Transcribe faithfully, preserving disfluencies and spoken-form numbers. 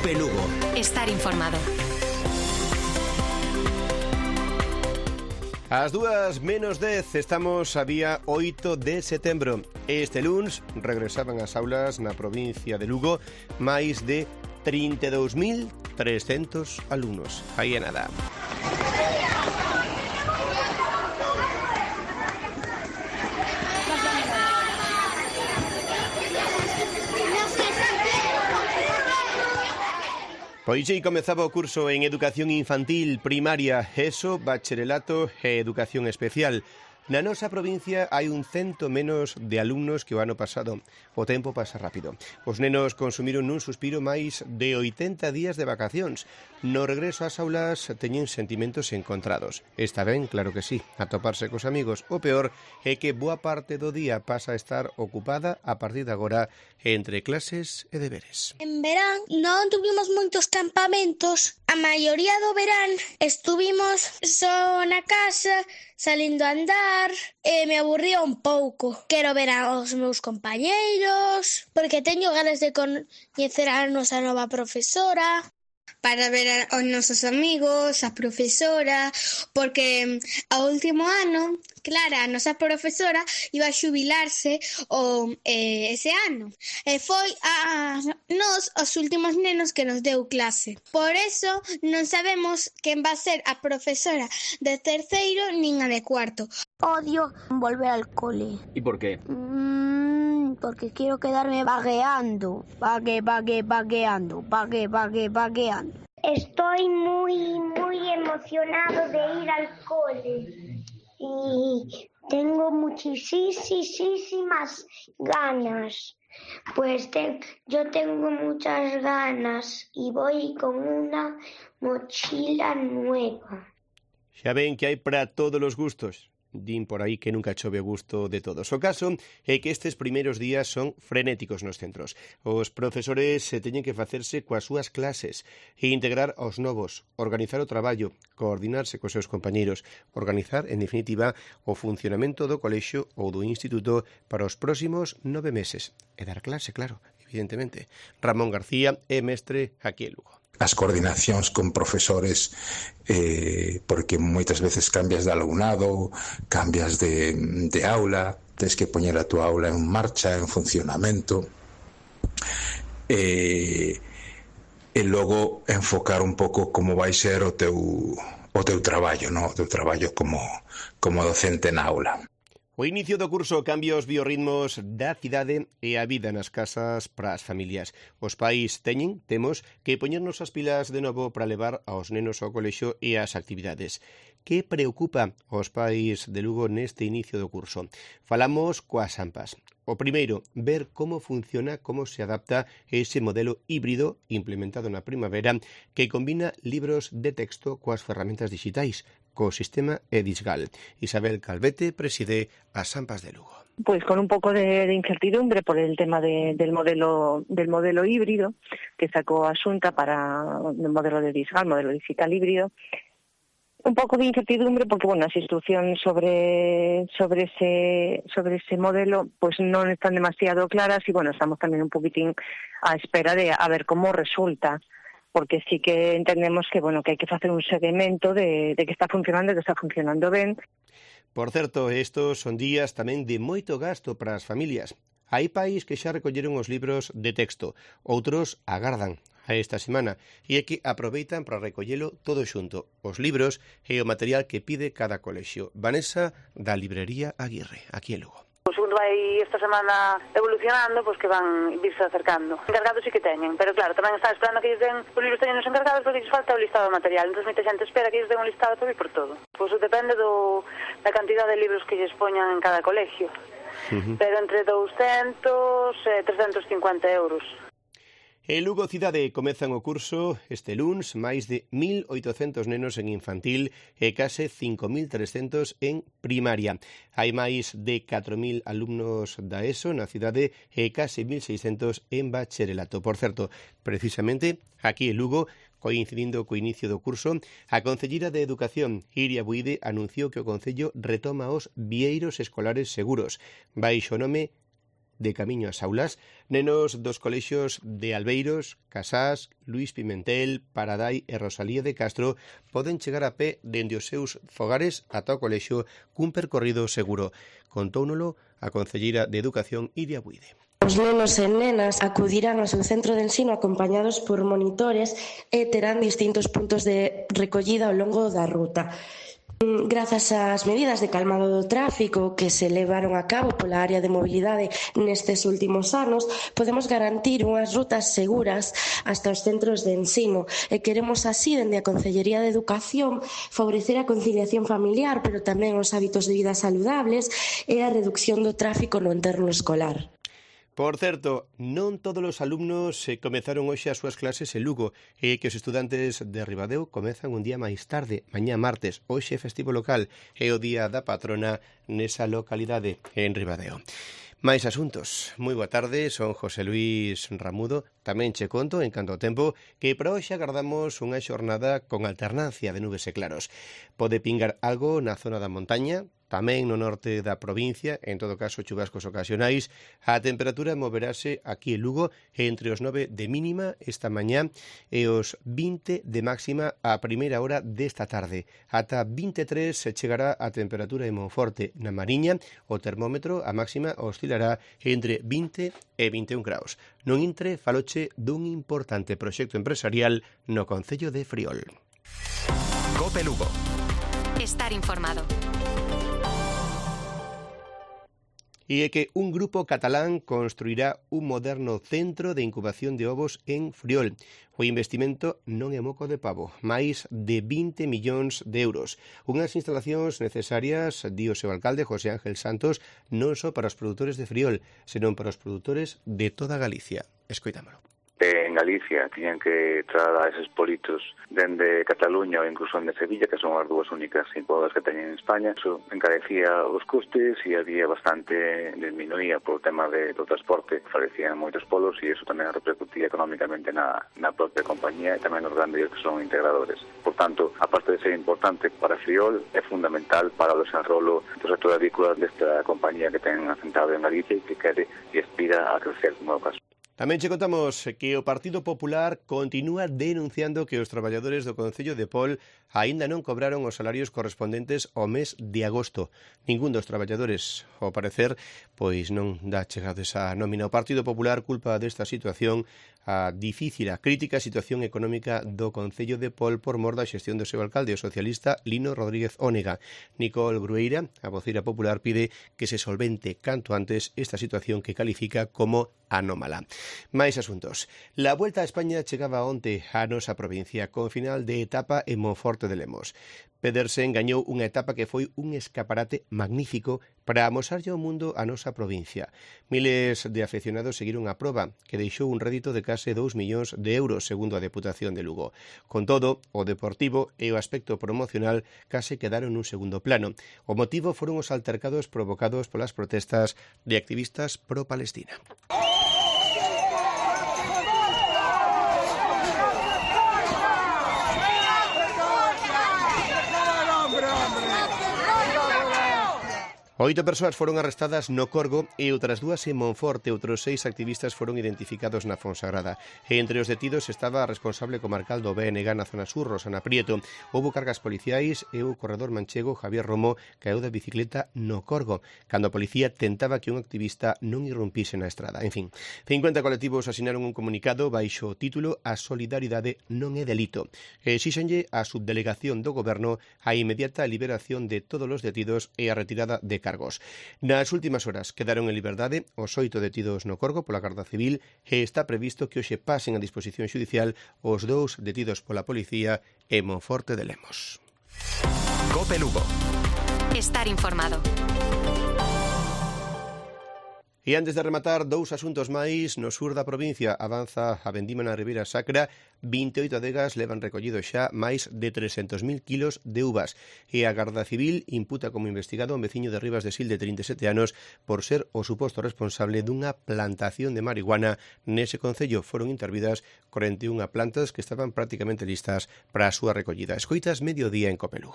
Cope Lugo. Estar informado. As dúas menos dez, estamos a día oito de setembro. Este luns regresaban ás aulas na provincia de Lugo máis de trinta e dous mil trescentos alumnos. Aí é nada. Pois aí comezaba o curso en Educación Infantil, Primaria, ESO, Bacharelato e Educación Especial. Na nosa provincia hai un cento menos de alumnos que o ano pasado. O tempo pasa rápido. Os nenos consumiron nun suspiro máis de oitenta días de vacacións. No regreso ás aulas teñen sentimentos encontrados. Está ben, claro que sí, atoparse cos amigos. O peor é que boa parte do día pasa a estar ocupada a partir de agora entre clases e deberes. En verán non tuvimos moitos campamentos. A maioría do verán estuvimos só na casa, salindo a andar, e me aburría un pouco. Quero ver aos meus compañeiros, porque teño ganas de coñecer a nosa nova profesora, para ver aos nosos amigos, a profesora, porque ao último ano, Clara, a nosa profesora, iba a xubilarse o, eh, ese ano. E foi a nos os últimos nenos que nos deu clase. Por eso non sabemos quen va a ser a profesora de terceiro nin a de cuarto. Odio volver al cole. ¿Y por qué? Mm, porque quiero quedarme vagueando. Vague, vague, vagueando. Vague, vague, vagueando. Estoy muy, muy emocionado de ir al cole y tengo muchísimas ganas. Pues te, yo tengo muchas ganas y voy con una mochila nueva. Xa ven que hai para todos os gustos. Din por aí que nunca chove o gusto de todos. O caso é que estes primeiros días son frenéticos nos centros. Os profesores se teñen que facerse coas súas clases e integrar aos novos, organizar o traballo, coordinarse cos seus compañeiros, organizar, en definitiva, o funcionamento do colexio ou do instituto para os próximos nove meses. E dar clase, claro, evidentemente. Ramón García é mestre aquí en Lugo. As coordinacións con profesores, eh, porque moitas veces cambias de alumnado, cambias de, de aula, tens que poñer a tua aula en marcha, en funcionamento, e, e logo enfocar un pouco como vai ser o teu, o teu traballo, no? O teu traballo como, como docente na aula. O inicio do curso cambia os biorritmos da cidade e a vida nas casas para as familias. Os pais teñen, temos, que poñernos as pilas de novo para levar aos nenos ao colexio e ás actividades. Que preocupa aos pais de Lugo neste inicio do curso? Falamos coas AMPAs. O primeiro, ver como funciona, como se adapta ese modelo híbrido implementado na primavera que combina libros de texto coas ferramentas digitais, co sistema Edisgal. Isabel Calvete preside as AMPAs de Lugo. Pues con un poco de, de incertidumbre por el tema de, del modelo del modelo híbrido que sacó a Xunta para el modelo de Edisgal, modelo digital híbrido. Un poco de incertidumbre porque, bueno, las instrucciones sobre sobre ese sobre ese modelo pues no están demasiado claras y, bueno, estamos también un poquitín a espera de a ver cómo resulta, porque sí que entendemos que, bueno, que hai que facer un seguimento de, de que está funcionando, que está funcionando ben. Por certo, estos son días tamén de moito gasto para as familias. Hai pais que xa recolleron os libros de texto, outros agardan a esta semana, e é que aproveitan para recollelo todo xunto, os libros e o material que pide cada colexio. Vanessa, da librería Aguirre, aquí en Lugo. O segundo vai esta semana evolucionando, pois que van virse acercando. Encargados sí que teñen, pero claro, tamén está esperando que lles den os libros teñen os encargados porque lles falta o listado de material. Entón, moita xente espera que lles den un listado para vir por todo. Pois depende do, da cantidad de libros que lles poñan en cada colegio. Uh-huh. Pero entre douscentos e trescentos cincuenta euros. En Lugo cidade comezan o curso este luns máis de mil oitocentos nenos en infantil e case cinco mil trescentos en primaria. Hai máis de catro mil alumnos da ESO na cidade e case mil seiscentos en bacharelato. Por certo, precisamente aquí en Lugo, coincidindo co inicio do curso, a Concelleira de Educación, Iria Buide, anunciou que o Concello retoma os vieiros escolares seguros, baixo o nome de camiño ás aulas. Nenos dos colexios de Albeiros, Casás, Luís Pimentel, Paradai e Rosalía de Castro poden chegar a pé dende os seus fogares ata o colexio cun percorrido seguro. Contóunolo a concelleira de Educación, Iria Buide. Os nenos e nenas acudirán ao seu centro de ensino acompañados por monitores e terán distintos puntos de recollida ao longo da ruta. Grazas ás medidas de calmado do tráfico que se levaron a cabo pola área de mobilidade nestes últimos anos, podemos garantir unhas rutas seguras hasta os centros de ensino e queremos así, dende a Concellería de Educación, favorecer a conciliación familiar, pero tamén os hábitos de vida saludables e a reducción do tráfico no entorno escolar. Por certo, non todos os alumnos se comezaron hoxe as súas clases en Lugo e que os estudantes de Ribadeo comezan un día máis tarde, mañá martes. Hoxe é festivo local e o día da patrona nesa localidade en Ribadeo. Máis asuntos. Moi boa tarde, son José Luís Ramudo. Tamén che conto, en canto ao tempo, que para hoxe agardamos unha xornada con alternancia de nubes e claros. Pode pingar algo na zona da montaña, tamén no norte da provincia, en todo caso chubascos ocasionais. A temperatura moverase aquí en Lugo entre os nove de mínima esta mañá e os vinte de máxima a primeira hora desta tarde. Ata vinte e tres se chegará a temperatura en Monforte. Na Mariña, o termómetro a máxima oscilará entre vinte e vinte e un graus. Non intre faloche dun importante proxecto empresarial no concello de Friol. Cope Lugo. Estar informado. E é que un grupo catalán construirá un moderno centro de incubación de ovos en Friol. O investimento non é moco de pavo, máis de vinte millóns de euros. Unhas instalacións necesarias, di o seu alcalde, José Ángel Santos, non só para os produtores de Friol, senón para os produtores de toda Galicia. Escoitámolo. En Galicia tiñan que trasladar eses politos dende Cataluña ou incluso de Sevilla, que son as dúas únicas incubadoras que teñen en España. Eso encarecía os costes e había bastante disminuía por o tema de, do transporte. Falecían moitos polos e eso tamén repercutía económicamente na, na propia compañía e tamén nos grandes que son integradores. Por tanto, aparte de ser importante para Friol, é fundamental para o desarrollo do sector agrícola desta compañía que ten asentado en Galicia e que quere e aspira a crecer como é o caso. Tamén che contamos que o Partido Popular continúa denunciando que os traballadores do Concello de Pol aínda non cobraron os salarios correspondentes ao mes de agosto. Ningún dos traballadores, ao parecer, pois non dá chegado esa nómina. O Partido Popular culpa desta situación a difícil, a crítica situación económica do Concello de Pol por mor da xestión do seu alcalde, o socialista Lino Rodríguez Ónega. Nicole Grueira, a voceira popular, pide que se solvente canto antes esta situación que califica como anómala. Máis asuntos. La Vuelta a España chegaba onte á nosa provincia con final de etapa en Monforte de Lemos. Pedersen gañou unha etapa que foi un escaparate magnífico para amosarlle ao mundo a nosa provincia. Miles de afeccionados seguiron a proba, que deixou un rédito de case dous millóns de euros, segundo a Deputación de Lugo. Con todo, o deportivo e o aspecto promocional case quedaron nun segundo plano. O motivo foron os altercados provocados polas protestas de activistas pro-Palestina. Oito persoas foron arrestadas no Corgo e outras dúas en Monforte. Outros seis activistas foron identificados na Fonsagrada. E entre os detidos estaba a responsable comarcal do B N G na zona sur, Rosana Prieto. Houbo cargas policiais e o corredor manchego Javier Romo caeu da bicicleta no Corgo, cando a policía tentaba que un activista non irrumpise na estrada. En fin, cincuenta colectivos asinaron un comunicado baixo o título A solidaridade non é delito. E exíxenlle a subdelegación do goberno a inmediata liberación de todos os detidos e a retirada de cargos. Nas últimas horas quedaron en liberdade os oito detidos no Corgo pola Garda Civil e está previsto que hoxe pasen a disposición xudicial os dous detidos pola policía en Monforte de Lemos. Cope Lugo. Estar informado. E antes de rematar, dous asuntos máis. No sur da provincia avanza a vendima na Ribeira Sacra. vinte e oito adegas levan recollido xa máis de trescentos mil kilos de uvas. E a Garda Civil imputa como investigado a un veciño de Rivas de Sil de trinta e sete anos por ser o suposto responsable dunha plantación de marihuana nese concello. Foron intervidas corenta e unha plantas que estaban prácticamente listas para a súa recollida. Escoitas Mediodía en Cope Lugo.